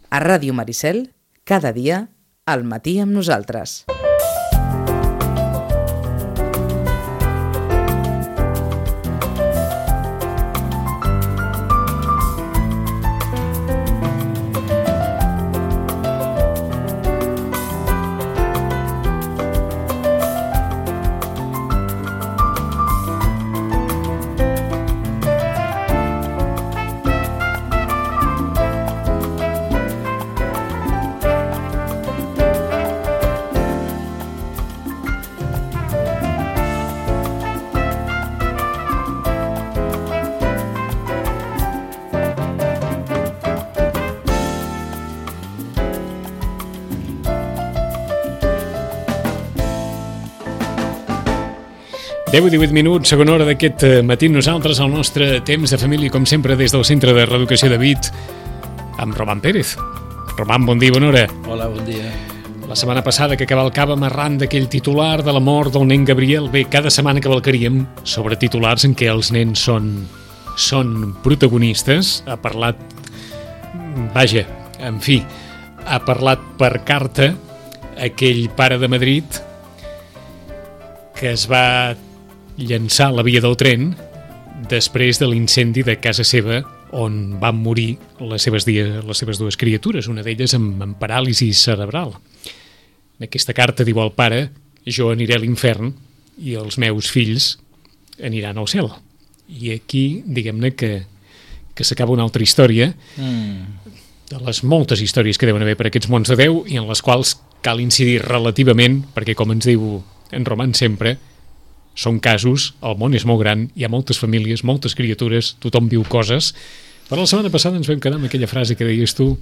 A Ràdio Maricel, cada dia, al matí amb nosaltres. Deu i 18 minuts, segona hora d'aquest matí. Nosaltres, al nostre temps de família, com sempre, des del Centre de Reeducació de Vic, amb Roman Pérez. Roman, bon dia, bona hora. Hola, bon dia. La setmana passada que cavalcàvem arran d'aquell titular de la mort del nen Gabriel, bé, cada setmana cavalcaríem sobre titulars en què els nens són protagonistes. Ha parlat, vaja, en fi, ha parlat per carta aquell pare de Madrid que es va llançar a la via del tren després de l'incendi de casa seva on van morir les seves dues criatures, una d'elles amb paràlisi cerebral. En aquesta carta diu el pare: jo aniré a l'infern i els meus fills aniran al cel. I aquí, diguem-ne que s'acaba una altra història de les moltes històries que deuen haver per aquests mons de Déu i en les quals cal incidir relativament, perquè com ens diu en Roman sempre, són casos, el món és molt gran, hi ha moltes famílies, moltes criatures, tothom viu coses. Però la setmana passada ens vam quedar amb aquella frase que deies tu,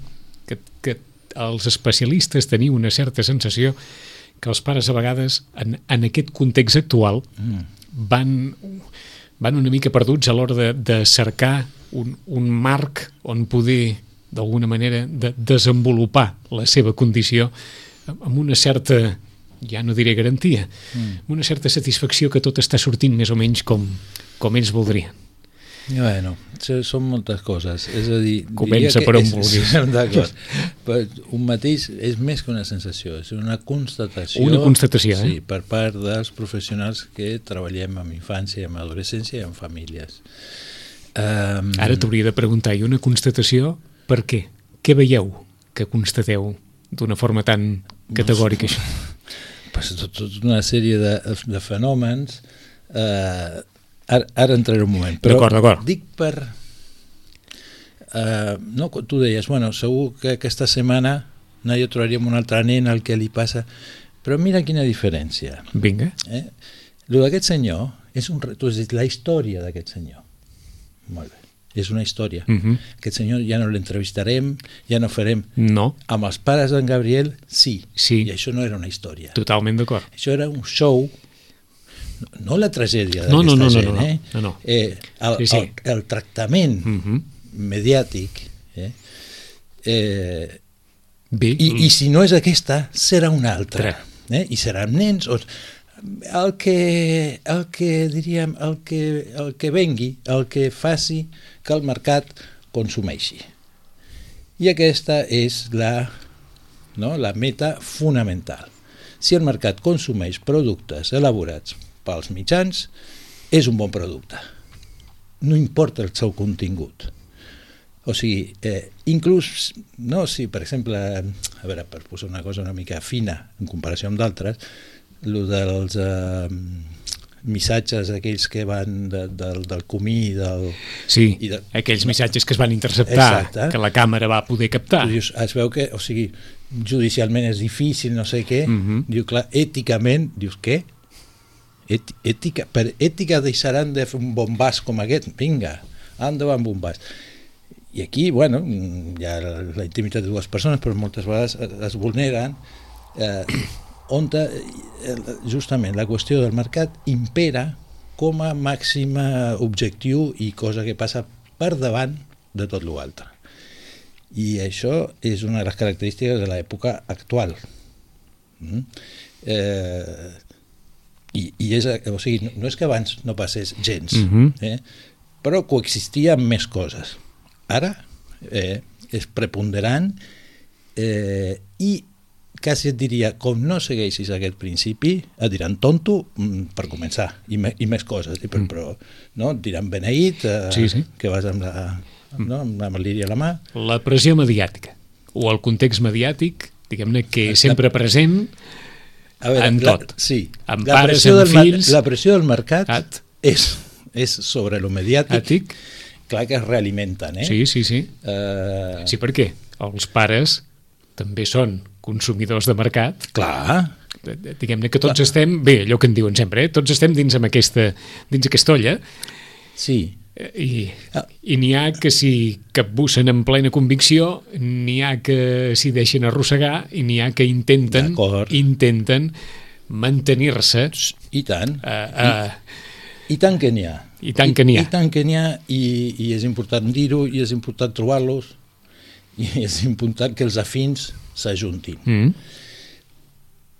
que els especialistes teniu una certa sensació que els pares a vegades, en aquest context actual, van una mica perduts a l'hora de cercar un marc on poder, d'alguna manera, desenvolupar la seva condició amb una certa, ja no diré garantia, amb una certa satisfacció que tot està sortint més o menys com ells voldrien. Bueno, són moltes coses. És a dir, comença per on vulguis. D'acord. Però un mateix és més que una sensació, és una constatació. Una constatació, sí, per part dels professionals que treballem amb infància, amb adolescència i amb famílies. Ara t'hauria de preguntar, i una constatació, per què? Què veieu que constateu d'una forma tan categòrica això? Tota una sèrie de fenòmens. Ara entraré un moment, però d'acord. Dic per... no, tu deies, bueno, segur que aquesta setmana no hi trobaríem un altre nen al que li passa, però mira quina diferència. Vinga. Lo d'aquest senyor, tu has dit la història d'aquest senyor. Molt bé. És una història. Aquest senyor ja no l'entrevistarem, ja no farem... No. Amb els pares d'en Gabriel, sí. I això no era una història. Totalment d'acord. Això era un show, no la tragèdia d'aquesta gent. No. El tractament mediàtic. I si no és aquesta, serà una altra. I seran nens... El que vengui, el que faci que el mercat consumeixi. I aquesta és la meta fonamental. Si el mercat consumeix productes elaborats pels mitjans, és un bon producte. No importa el seu contingut. O sigui, inclús, si per exemple, a veure, per posar una cosa una mica fina en comparació amb d'altres, el dels missatges aquells que van del comí aquells missatges que es van interceptar, que la càmera va poder captar. Dius, es veu que, o sigui, judicialment és difícil, no sé què, diu, clar, èticament, dius, què? Per ètica deixaran de fer un bombàs com aquest? Vinga, endavant bombàs. I aquí, bueno, hi ha la intimitat de dues persones, però moltes vegades es vulneren, on justament la qüestió del mercat impera com a màxim objectiu i cosa que passa per davant de tot l'altre. I això és una de les característiques de l'època actual. I és, o sigui, no és que abans no passés gens, però coexistia amb més coses. Ara és preponderant I quasi et diria, com no segueixis aquest principi, et diran tonto per començar, i més coses, però no? Et diran beneït, que vas amb el liri a la mà. La pressió mediàtica, o el context mediàtic, diguem-ne, que és sempre present en tot. Sí, en pares, en fills... La pressió del mercat és sobre el mediàtic, clar que es realimenten, Sí. Sí, per què? Els pares també són consumidors de mercat. Clar. Diguem-ne que tots estem, bé, allò que en diuen sempre, tots estem dins aquesta olla. Sí. I n'hi ha que s'hi capbussen en plena convicció, n'hi ha que s'hi deixen arrossegar i n'hi ha que intenten mantenir-se. I tant. I tant que n'hi ha. I tant que n'hi ha. I tant que n'hi ha, i és important dir-ho, i és important trobar-los, i és important que els afins s'ajuntin.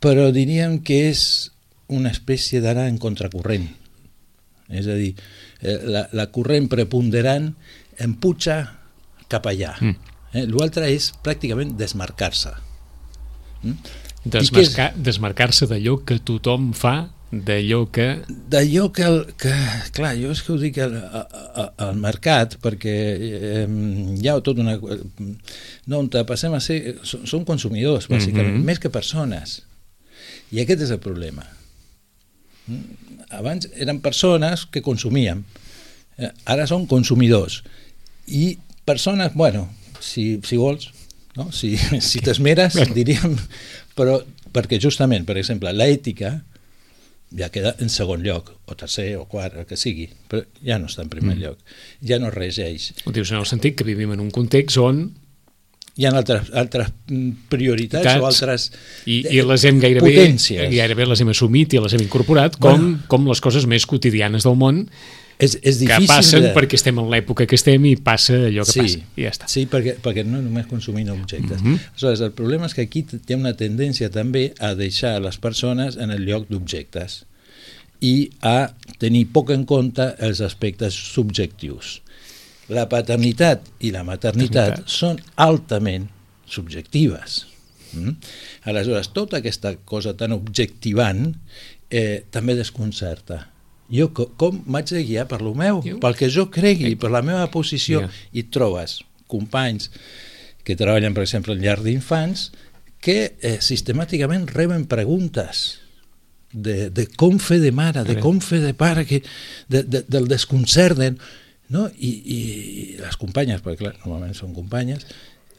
Però diríem que és una espècie d'anar en contracorrent. És a dir, la corrent preponderant empuja cap allà. L'altre és pràcticament desmarcar-se. Desmarcar-se d'allò que tothom fa, d'allò que... Clar, jo és que ho dic al mercat, perquè hi ha tota una... No, on passem a ser... Som consumidors, bàsicament, més que persones. I aquest és el problema. Abans eren persones que consumíem, ara són consumidors. I persones, bueno, si vols, no? si t'esmeres, diríem, però perquè justament, per exemple, l'ètica ja queda en segon lloc, o tercer, o quart, el que sigui, però ja no està en primer lloc, ja no regeix. Ho dius en el sentit que vivim en un context on hi ha altres prioritats o altres i les hem gairebé les hem assumit i les hem incorporat com les coses més quotidianes del món que passen perquè estem en l'època que estem i passa allò que passa i ja està. Sí, perquè no només consumim objectes. Aleshores, el problema és que aquí hi ha una tendència també a deixar les persones en el lloc d'objectes i a tenir poc en compte els aspectes subjectius. La paternitat i la maternitat són altament subjectives. Aleshores, tota aquesta cosa tan objectivant també desconcerta. Jo com m'haig de guiar per lo meu, pel que jo cregui, per la meva posició, i trobes companys que treballen, per exemple, en llar d'infants, que sistemàticament reben preguntes de com fer de mare, de com fer de pare, del desconcert, no? I les companyes, perquè clar, normalment són companyes,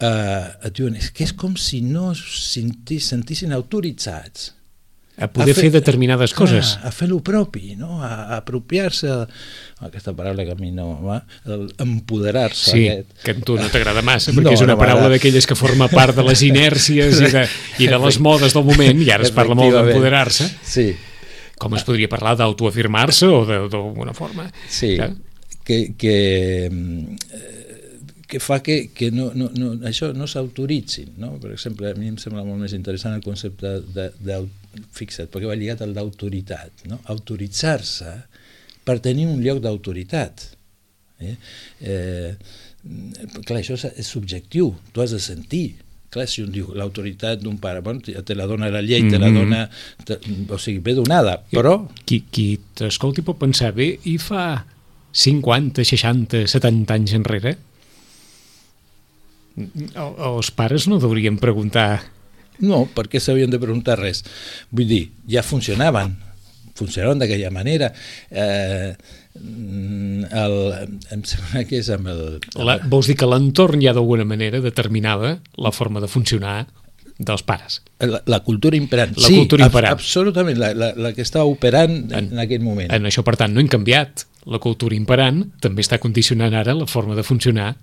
et diuen, és que és com si no sentissin autoritzats a poder fer determinades coses. A fer el propi, no? A apropiar-se, aquesta paraula que a mi no va, empoderar-se. Sí, que a tu no t'agrada massa, perquè és una paraula d'aquelles que forma part de les inèrcies i de les modes del moment, i ara es parla molt d'empoderar-se. Sí. Com es podria parlar d'autoafirmar-se o d'alguna forma? Sí. Que fa que això no s'autoritzin, no? Per exemple, a mi em sembla molt més interessant el concepte fixa't, perquè va lligat al d'autoritat, no? Autoritzar-se per tenir un lloc d'autoritat. Clar, això és subjectiu, tu has de sentir. Clar, si un diu l'autoritat d'un pare, bueno, te la dona la llei, te la dona, o sigui, ve donada, però... Qui t'escolti pot pensar, bé, i fa 50, 60, 70 anys enrere, els pares no deurien preguntar... No, perquè s'havien de preguntar res. Vull dir, ja funcionaven d'aquella manera. Em sembla que és amb el... Vols dir que l'entorn ja d'alguna manera determinava la forma de funcionar dels pares? La cultura imperant. Sí, absolutament, la que estava operant en aquell moment. En això, per tant, no hem canviat. La cultura imperant també està condicionant ara la forma de funcionar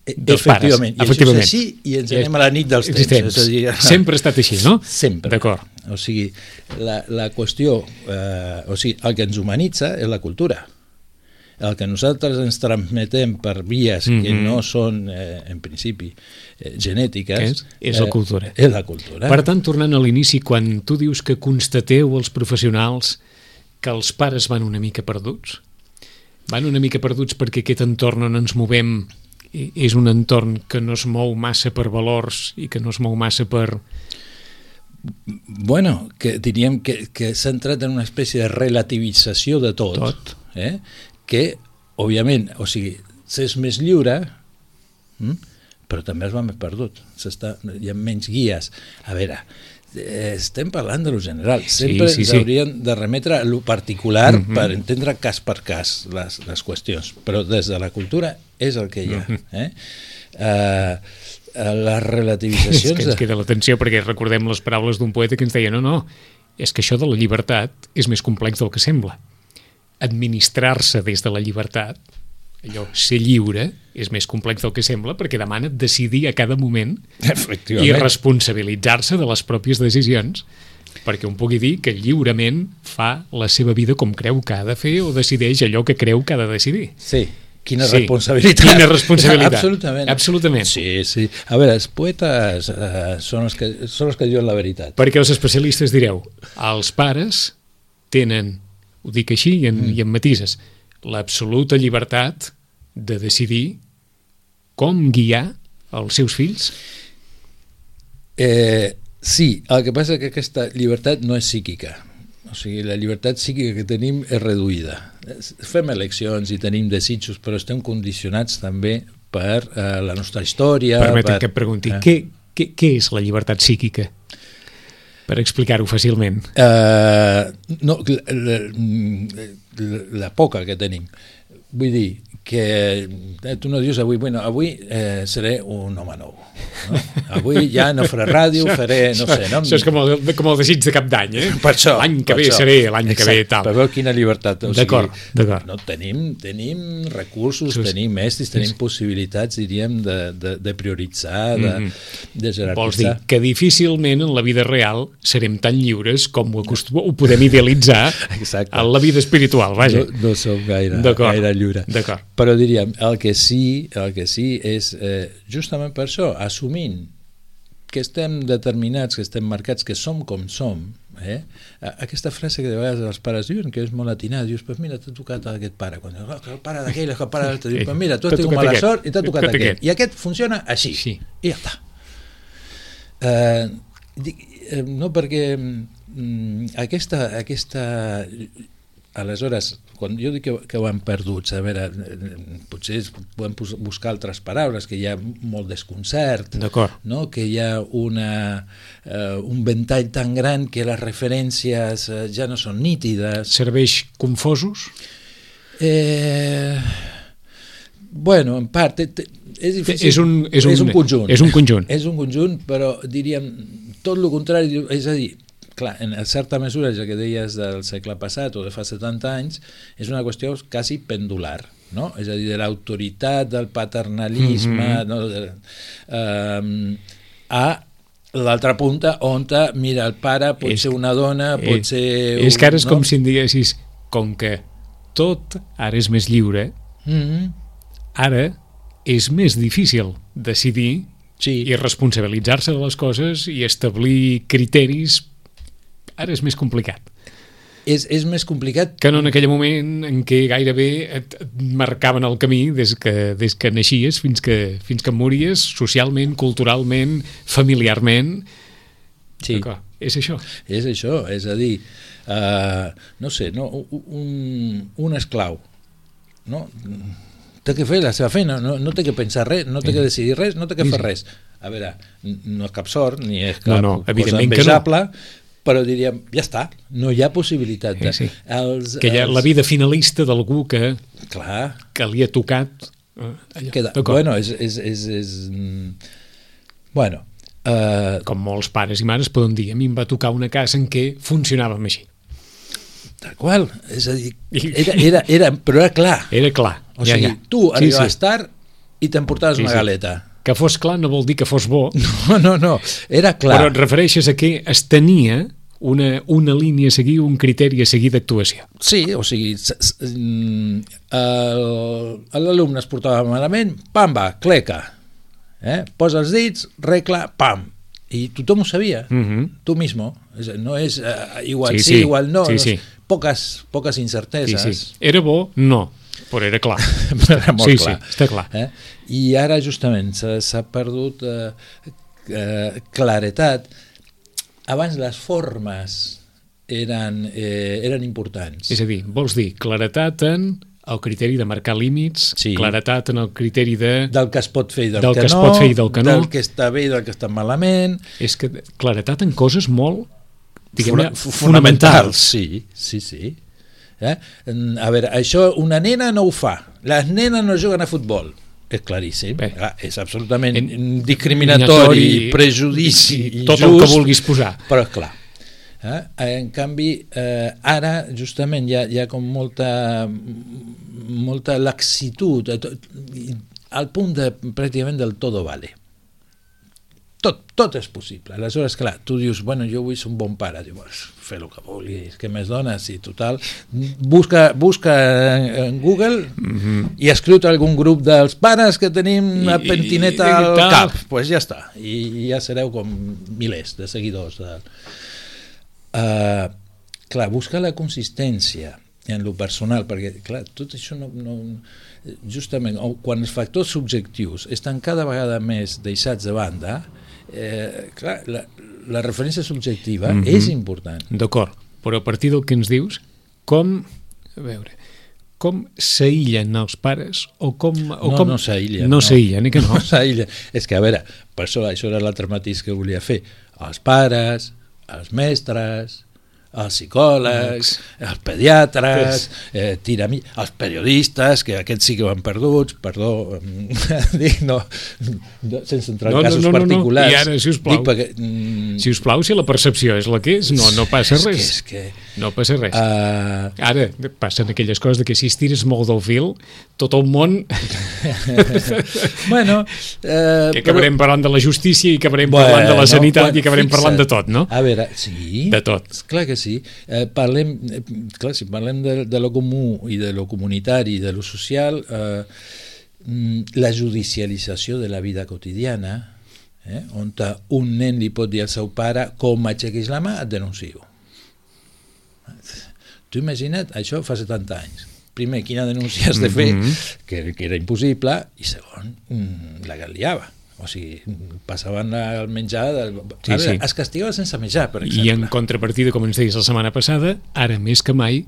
dels pares. Efectivament. I això és així i ens anem a la nit dels temps. Sempre ha estat així, no? Sempre. D'acord. O sigui, la qüestió, o sigui, el que ens humanitza és la cultura. El que nosaltres ens transmetem per vies que no són, en principi, genètiques... És la cultura. És la cultura. Per tant, tornant a l'inici, quan tu dius que constateu els professionals que els pares van una mica perduts perquè aquest entorn on ens movem és un entorn que no es mou massa per valors i que no es mou massa per... Bueno, que diríem que s'ha entrat en una espècie de relativització de tot. Que, òbviament, o sigui, s'és més lliure, però també es va més perdut. Hi ha menys guies. A veure, estem parlant de lo general. Sempre ens hauríem de remetre a lo particular per entendre cas per cas les qüestions. Però des de la cultura és el que hi ha. Les relativitzacions... És que ens queda l'atenció perquè recordem les paraules d'un poeta que ens deia no, és que això de la llibertat és més complex del que sembla. Administrar-se des de la llibertat, allò, ser lliure, és més complex del que sembla perquè demana decidir a cada moment i responsabilitzar-se de les pròpies decisions perquè un pugui dir que lliurement fa la seva vida com creu que ha de fer o decideix allò que creu que ha de decidir. Sí. Quina responsabilitat. Quina responsabilitat. Absolutament. Sí. A veure, els poetes són els que diuen la veritat. Perquè els especialistes direu, els pares tenen, ho dic així i en matises, l'absoluta llibertat de decidir com guiar els seus fills? Sí, el que passa és que aquesta llibertat no és psíquica. O sigui, la llibertat psíquica que tenim és reduïda. Fem eleccions i tenim desitjos, però estem condicionats també per la nostra història. Permetem que et pregunti, què és la llibertat psíquica? Per explicar-ho fàcilment. La poca que tenim. Vull dir que tu no dius avui seré un home nou. No? Avui ja no faré ràdio, faré, no sé... No? Això és com el desig de cap d'any, Per això. L'any que ve seré, l'any que ve tal. Per veure quina llibertat. D'acord. No, tenim recursos, tenim estris, tenim possibilitats, diríem, de prioritzar, de jerarquitzar. Vols dir que difícilment en la vida real serem tan lliures com ho podem idealitzar en la vida espiritual, vaja. No som gaire lliures. D'acord. Però diríem, el que sí és justament per això, assumint que estem determinats, que estem marcats, que som com som, aquesta frase que de vegades els pares diuen, que és molt atinada, dius, pues mira, t'ha tocat aquest pare, quan el pare d'aquell, el pare d'altre, dius, pues mira, tu has tingut mala sort i t'ha tocat aquest, i aquest funciona així, i ja està. No, perquè aquesta aleshores, quan jo dic que ho hem perdut, a veure, potser podem buscar altres paraules, que hi ha molt desconcert, no? Que hi ha un ventall tan gran que les referències ja no són nítides. Serveix confosos? Bueno, en part, és difícil. És un conjunt. És un conjunt, però diríem tot el contrari, és a dir, clar, en certa mesura, ja que deies del segle passat o de fa 70 anys, és una qüestió quasi pendular, no? És a dir, de l'autoritat, del paternalisme, no? A l'altra punta, on, mira, el pare pot ser una dona, pot ser... És que ara és com si em diguessis, com que tot ara és més lliure, ara és més difícil decidir i responsabilitzar-se de les coses i establir criteris. Ara és més complicat. És més complicat... Que no en aquell moment en què gairebé et marcaven el camí des que naixies fins que mories, socialment, culturalment, familiarment. Sí. És això. És això, és a dir, no sé, un esclau, no? Té que fer la seva feina, no té que pensar res, no té que decidir res, no té que fer res. A veure, no és cap sort, ni és cap cosa envejable, però diríem, ja està, no hi ha possibilitat de... Que hi ha la vida finalista d'algú que li ha tocat... Bueno, Bueno... Com molts pares i mares poden dir, a mi em va tocar una casa en què funcionàvem així. Tal qual, és a dir, però era clar. Era clar. O sigui, tu arribaves tard i t'emportaves una galeta. Que fos clar no vol dir que fos bo. No, era clar. Però et refereixes a que es tenia una línia a seguir, un criteri a seguir d'actuació. Sí, o sigui, l'alumne es portava malament, pam, va, cleca. Posa els dits, regla, pam. I tothom ho sabia, tu mismo. No és igual sí, igual no. Poques incerteses. Era bo? No. Però era clar. Era molt clar. Sí, està clar. I ara justament s'ha perdut claretat. Abans les formes eren importants. És a dir, vols dir claretat en el criteri de marcar límits, claretat en el criteri del que es pot fer i del que no, es pot fer i del que no, del que està bé i del que està malament. És que claretat en coses molt, diguem-ne, fonamentals. Sí. A veure, això una nena no ho fa. Les nenes no juguen a futbol. És claríssim. És absolutament discriminatori, prejudici, injust. Tot el que vulguis posar. Però és clar. En canvi, ara justament hi ha com molta laxitud, al punt de pràcticament del todo vale. Tot és possible. Aleshores, clar, tu dius, bueno, jo vull ser un bon pare. Dius, fer el que vulguis, què més dones? I total, busca en Google i escriu-te algun grup dels pares que tenim la pentineta al cap. Doncs pues ja està. I ja sereu com milers de seguidors. Clar, busca la consistència en lo personal, perquè clar, tot això no justament, quan els factors subjectius estan cada vegada més deixats de banda, clar, la referència subjectiva és important. D'acord, però a partir del que ens dius, com s'aïllen els pares no s'aïllen. No s'aïllen, que no? No s'aïllen. És que, a veure, per això era l'altre matís que volia fer. Els pares, els mestres, els psicòlegs, els pediatres, els periodistes, que aquests sí que ho han perduts, perdó, dic, no, sense entrar en casos particulars. I ara, sisplau, sisplau, si la percepció és la que és, no passa res. No passa res. Ara passen aquelles coses de que si estires molt del fil, tot el món... Bueno... Que acabarem parlant de la justícia i acabarem parlant de la sanitat i acabarem parlant de tot, no? A veure, sí. De tot. Clar que sí. Si parlem de lo comú i de lo comunitari i de lo social, la judicialització de la vida quotidiana, on un nen li pot dir al seu pare com aixequis la mà, et denuncio. Tu imagina't, això fa 70 anys. Primer, quina denúncia has de fer, que era impossible, i segon, la que liava. O sigui, passaven el menjar... Es castigava sense menjar, per exemple. I en contrapartida, com ens deies la setmana passada, ara més que mai,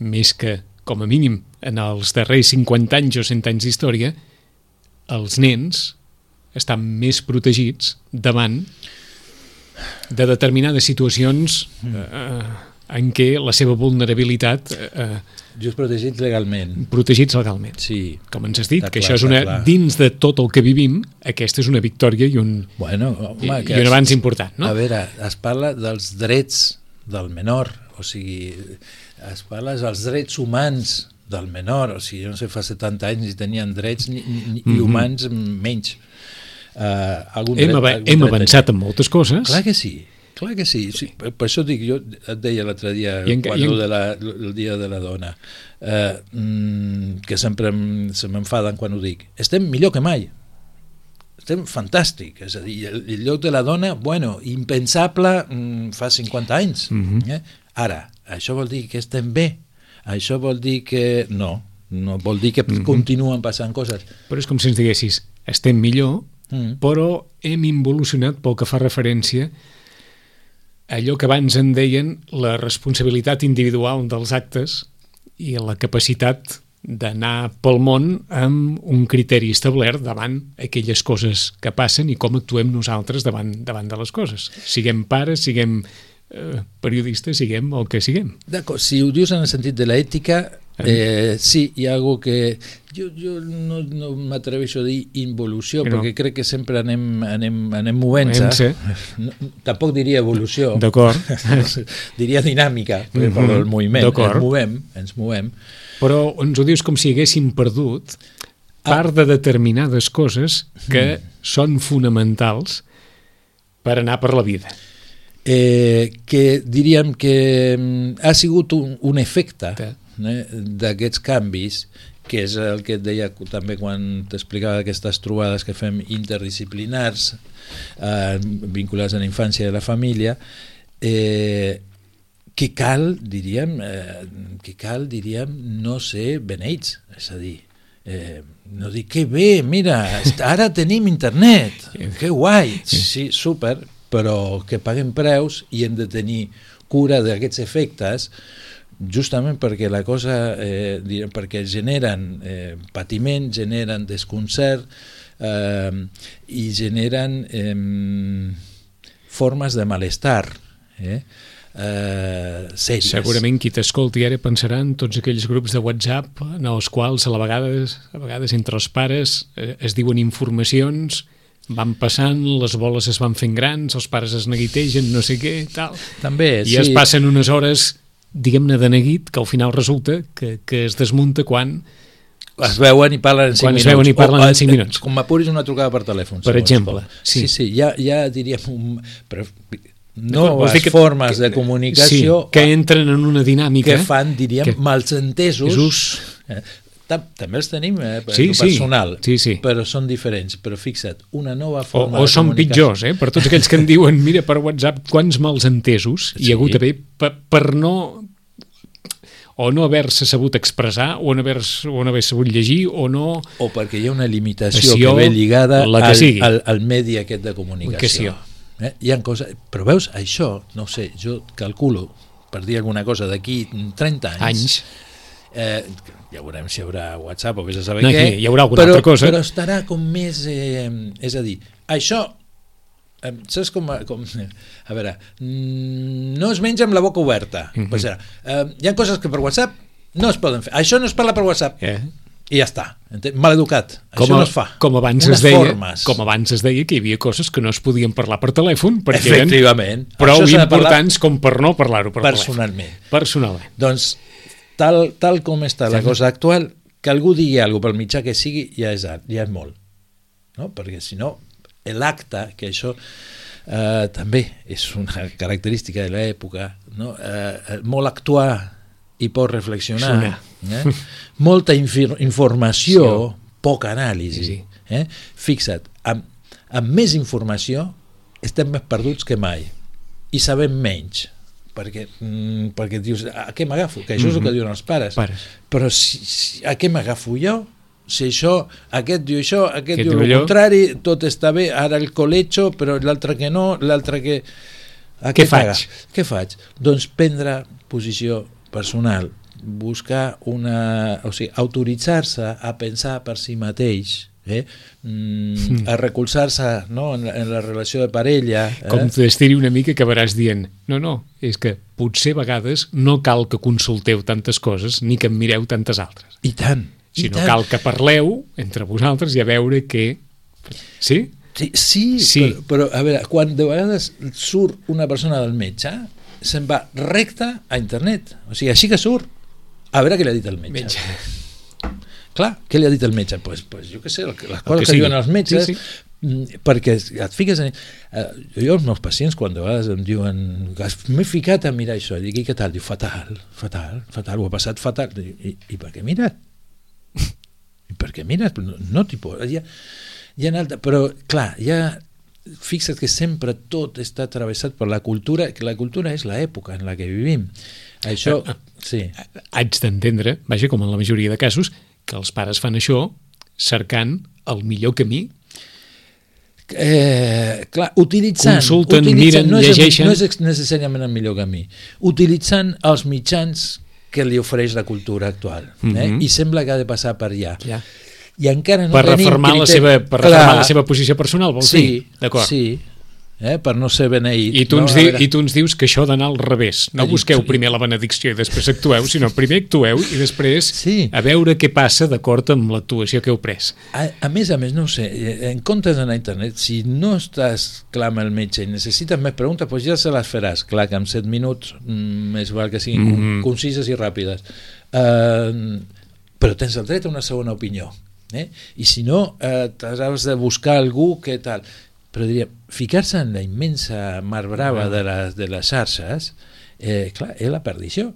més que, com a mínim, en els darrers 50 anys o 100 anys d'història, els nens estan més protegits davant de determinades situacions en què la seva vulnerabilitat... Just protegits legalment. Protegits legalment. Sí. Com ens has dit, que això és dins de tot el que vivim, aquesta és una victòria i un avanç important, no? A veure, es parla dels drets del menor, o sigui, es parla dels drets humans del menor, o sigui, no sé, fa 70 anys ni tenien drets ni humans menys. Hem avançat en moltes coses. Clar que sí. Clar que sí. Per això dic, jo et deia l'altre dia, el dia de la dona, que sempre se m'enfaden quan ho dic. Estem millor que mai. Estem fantàstic. És a dir, el lloc de la dona, bueno, impensable fa 50 anys. Ara, això vol dir que estem bé. Això vol dir que no vol dir que continuen passant coses. Però és com si ens diguessis, estem millor, però hem involucionat pel que fa referència allò que abans en deien la responsabilitat individual dels actes i la capacitat d'anar pel món amb un criteri establert davant aquelles coses que passen i com actuem nosaltres davant de les coses. Siguem pares, siguem periodistes, siguem el que siguem. D'acord, si ho dius en el sentit de l'ètica, sí, hi ha algo que jo no m'atreveixo a dir involució, perquè crec que sempre anem movent-se. Tampoc diria evolució. D'acord. Diria dinàmica, per el moviment. Ens movem. Però ens ho dius com si haguéssim perdut part de determinades coses que són fonamentals per anar per la vida. Que diríem que ha sigut un efecte d'aquests canvis, que és el que et deia també quan t'explicava aquestes trobades que fem interdisciplinars vinculades a la infància i a la família, que cal, diríem, no ser beneits, és a dir, no dic, que bé, mira, ara tenim internet, que guai, sí, super, però que paguem preus i hem de tenir cura d'aquests efectes, justament perquè la cosa, perquè generen patiment, generen desconcert i generen formes de malestar, sèries. Segurament qui t'escolti ara pensarà en tots aquells grups de WhatsApp en els quals a vegades entre els pares es diuen informacions, van passant, les boles es van fent grans, els pares es neguitegen, no sé què, tal. També, I es passen unes hores, diguem-ne, de neguit, que al final resulta que es desmunta quan es veuen i parlen en 5 minuts. Quan es veuen i parlen en 5 minuts. Com m'apuris una trucada per telèfon. Per exemple. Sí, ja diríem... Però noves formes de comunicació que entren en una dinàmica que fan, diríem, malsentesos. També els tenim personal, però són diferents. Però fixa't, una nova forma de comunicació. O són pitjors, per tots aquells que em diuen, mira, per WhatsApp, quants malsentesos hi ha hagut d'haver per no... o no haver-se sabut expressar, o no haver sabut llegir, o no... O perquè hi ha una limitació que ve lligada al medi aquest de comunicació. Hi ha coses... Però veus, això, no sé, jo calculo, per dir alguna cosa, d'aquí 30 anys... ja veurem si hi haurà WhatsApp o vés a saber què, hi haurà alguna altra cosa. Però estarà com més... és a dir, això... saps com... A veure, no es menja amb la boca oberta. Pues hi ha coses que per WhatsApp no es poden fer. Això no es parla per WhatsApp. I ja està. Maleducat. Això no es fa. Com abans es deia que hi havia coses que no es podien parlar per telèfon perquè eren prou importants com per no parlar-ho per telèfon. Personalment. Doncs, tal com està la cosa actual, que algú digui alguna cosa pel mitjà que sigui, ja és molt. Perquè si no, l'acte, que això també és una característica de l'època, molt actuar i poc reflexionar, molta informació, poca anàlisi. Fixa't, amb més informació estem més perduts que mai i sabem menys, perquè dius, a què m'agafo? Que això és el que diuen els pares. Però a què m'agafo jo? Si això, aquest diu això, aquest diu el contrari, tot està bé, ara el colecho, però l'altre que no, l'altre que... Què faig? Què faig? Doncs prendre posició personal, buscar una... O sigui, autoritzar-se a pensar per si mateix, a recolzar-se en la relació de parella. Com t'estiri una mica acabaràs dient no, és que potser a vegades no cal que consulteu tantes coses ni que en mireu tantes altres. I tant. Sinó cal que parleu entre vosaltres i a veure què... Sí? Sí. Però a veure, quan de vegades surt una persona del metge, se'n va recte a internet. O sigui, així que surt. A veure què li ha dit el metge. Clar, què li ha dit el metge? Pues jo què sé, les coses que diuen els metges, perquè et fiques en... Jo els meus pacients, quan de vegades em diuen m'he ficat a mirar això, i dic, què tal? Diu, fatal, ho ha passat fatal. I per què mires? I per què mires? No t'hi pots... Hi ha altra... Però, clar, fixa't que sempre tot està travessat per la cultura, que la cultura és l'època en la que vivim. Això, sí. Haig d'entendre, vaja, com en la majoria de casos, que els pares fan això cercant el millor camí. Clar, utilitzant, miren, llegeixen... No és necessàriament el millor camí. Utilitzant els mitjans que li ofereix la cultura actual. I sembla que ha de passar per allà. I encara no tenim reformar la seva posició personal, vols dir? D'acord. Sí, per no ser beneït. I tu ens dius que això ha d'anar al revés. No busqueu primer la benedicció i després actueu, sinó primer actueu i després a veure què passa d'acord amb l'actuació que heu pres. A més, no ho sé, en comptes d'anar a internet, si no estàs clar amb el metge i necessites més preguntes, doncs ja se les faràs. Clar que en 7 minuts més val que siguin concises i ràpides. Però tens el dret a una segona opinió. I si no, t'has de buscar algú que tal... Però diria, ficar-se en la immensa mar brava de les xarxes, clar, és la perdició.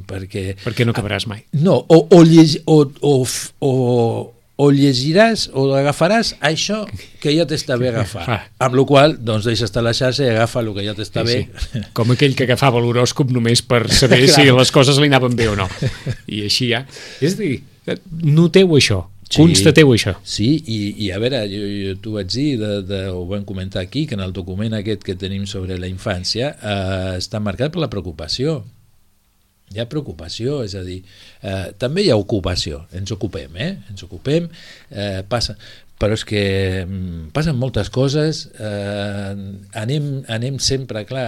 Perquè no acabaràs mai. No, o llegiràs o agafaràs això que ja t'està bé agafar. Amb la qual cosa, doncs deixa estar la xarxa i agafa el que ja t'està bé. Com aquell que agafava l'horòscop només per saber si les coses li anaven bé o no. I així ja. És a dir, noteu això. Constateu això. Sí, i a veure, jo t'ho vaig dir, ho vam comentar aquí, que en el document aquest que tenim sobre la infància està marcat per la preocupació. Hi ha preocupació, és a dir, també hi ha ocupació, ens ocupem, passa, però és que passen moltes coses, anem sempre, clar,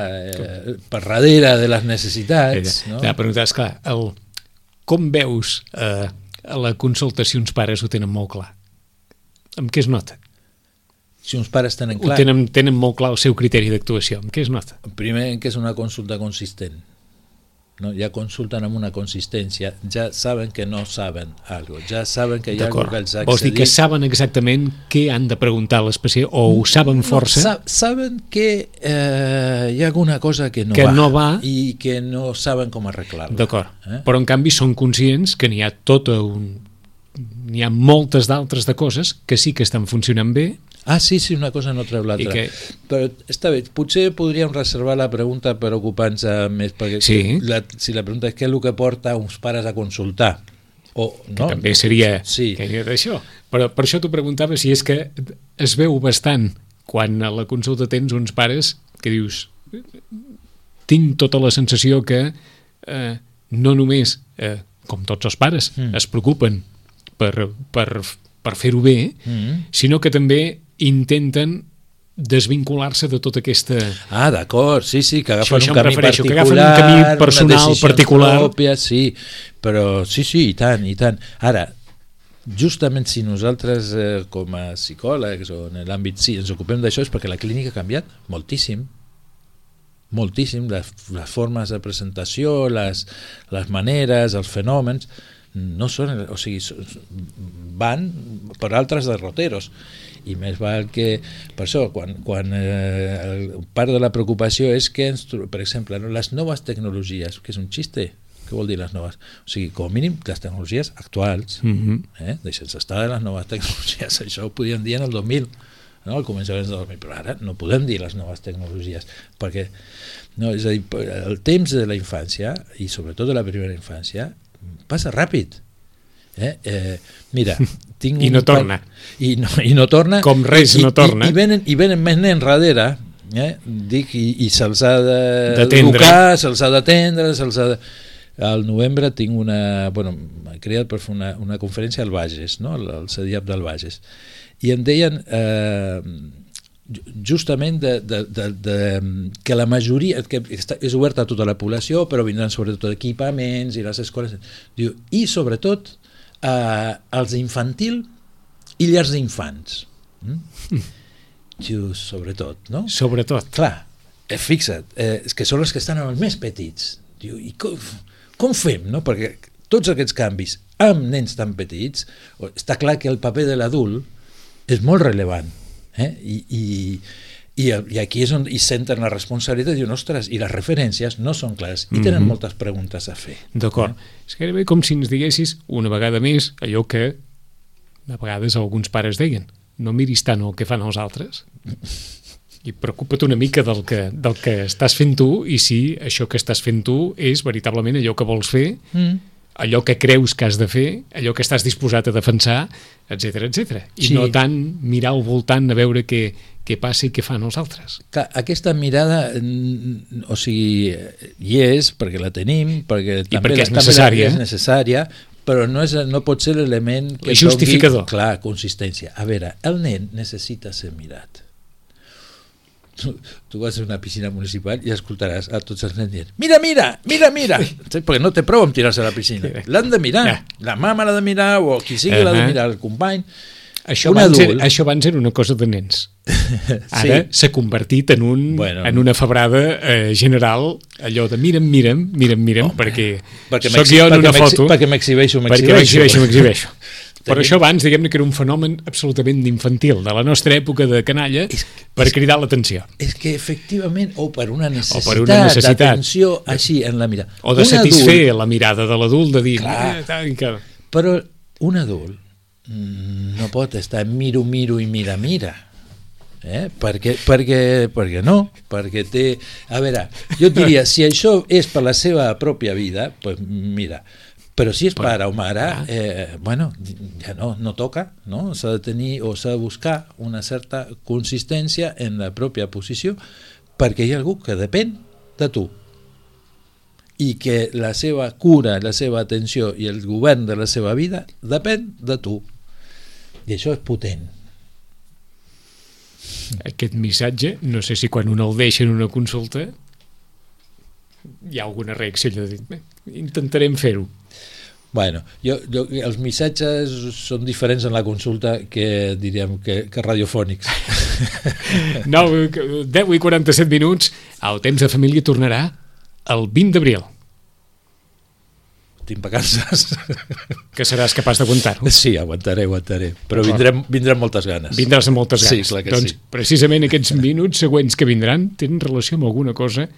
per darrere de les necessitats. No? La pregunta és, clar, com veus a la consulta si uns pares ho tenen molt clar? Amb què es nota? Si uns pares tenen clar... Tenen molt clar el seu criteri d'actuació. Amb què es nota? Primer, que és una consulta consistent. No? Ja consulten amb una consistència, ja saben que no saben alguna cosa, ja saben que hi ha alguna cosa que els ha accedit. Vols dir que saben exactament què han de preguntar a l'especialista, o ho saben força? Saben que hi ha alguna cosa que no va i que no saben com arreglar-la. D'acord, però en canvi són conscients que n'hi ha moltes d'altres de coses que sí que estan funcionant bé. Sí, una cosa no treu l'altra. Però està bé, potser podríem reservar la pregunta per ocupar-nos més, perquè si la pregunta és què és el que porta uns pares a consultar. Que també seria d'això. Però per això t'ho preguntava si és que es veu bastant quan a la consulta tens uns pares que dius tinc tota la sensació que no només, com tots els pares, es preocupen per fer-ho bé, sinó que també intenten desvincular-se de tota aquesta... D'acord, sí, que agafen un camí particular, que agafen un camí personal particular. Pròpies, sí, però sí, i tant. Ara, justament si nosaltres com a psicòlegs o en l'àmbit ens ocupem d'això és perquè la clínica ha canviat moltíssim, les formes de presentació, les maneres, els fenòmens, no són, o sigui, van per altres derroteros. I més val que, per això, quan part de la preocupació és que, per exemple, les noves tecnologies, que és un xiste, què vol dir les noves? O sigui, com a mínim, les tecnologies actuals, deixem estar de les noves tecnologies, això ho podíem dir en el 2000, no? Al començament del 2000, però ara no podem dir les noves tecnologies, perquè és a dir, el temps de la infància, i sobretot de la primera infància, passa ràpid. Mira, tinc I no torna. I no torna. Com res no torna. I venen més nens darrere, i se'ls ha d'educar, se'ls ha d'atendre, al novembre tinc m'he creat per fer una conferència al Bages, no? Al CEDIAP del Bages, i em deien justament que la majoria, que és oberta a tota la població, però vindran sobretot equipaments i les escoles, i sobretot als infantil i llars d'infants. Sobretot, no? Sobretot. Clar, fixa't, és que són els que estan els més petits. I com fem, no? Perquè tots aquests canvis amb nens tan petits, està clar que el paper de l'adult és molt rellevant. I aquí és on hi senten la responsabilitat i diuen, ostres, i les referències no són clares i tenen moltes preguntes a fer. D'acord. És gairebé com si ens diguessis una vegada més allò que a vegades alguns pares deien, no miris tant el que fan els altres i preocupa't una mica del que estàs fent tu, i si això que estàs fent tu és veritablement allò que vols fer, allò que creus que has de fer, allò que estàs disposat a defensar, etc. I no tant mirar al voltant a veure què passa i què fan els altres. Aquesta mirada, o sigui, hi és, perquè la tenim, perquè també és necessària, però no pot ser l'element que justificador. Doni, consistència. A veure, el nen necessita ser mirat. Tu vas a una piscina municipal i escoltaràs a tots els nens dient mira, perquè no té prou amb tirar-se a la piscina, l'han de mirar, la mama l'ha de mirar, o qui sigui l'ha de mirar, el company. Això abans era una cosa de nens, ara s'ha convertit en una febrada general, allò de mira'm, perquè soc jo en una foto, perquè m'exhibeixo. Però això abans, diguem-ne que era un fenomen absolutament infantil, de la nostra època de canalla, per cridar l'atenció. És que efectivament, o per una necessitat d'atenció així en la mirada. O de satisfer la mirada de l'adult, de dir... Però un adult no pot estar miro i mira. Perquè no, perquè té... A veure, jo et diria, si això és per la seva pròpia vida, doncs mira, Però si és pare o mare, bueno, ja no toca, no? S'ha de tenir o s'ha de buscar una certa consistència en la pròpia posició, perquè hi ha algú que depèn de tu i que la seva cura, la seva atenció i el govern de la seva vida depèn de tu. I això és potent. Aquest missatge, no sé si quan un el deixa en una consulta hi ha alguna reacció de dir, intentarem fer-ho. Bueno, els missatges són diferents en la consulta que diríem que radiofònics. 10:47, el temps de família tornarà el 20 d'abril. Tinc vacances. Que seràs capaç d'aguantar-ho. Sí, aguantaré, però vindran moltes ganes. Vindràs amb moltes ganes. Sí, clar que doncs, sí. Precisament aquests minuts següents que vindran tenen relació amb alguna cosa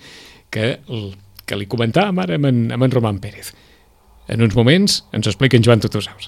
que li comentàvem ara amb en Roman Pérez. En uns moments ens ho explica en Joan Tutusaus.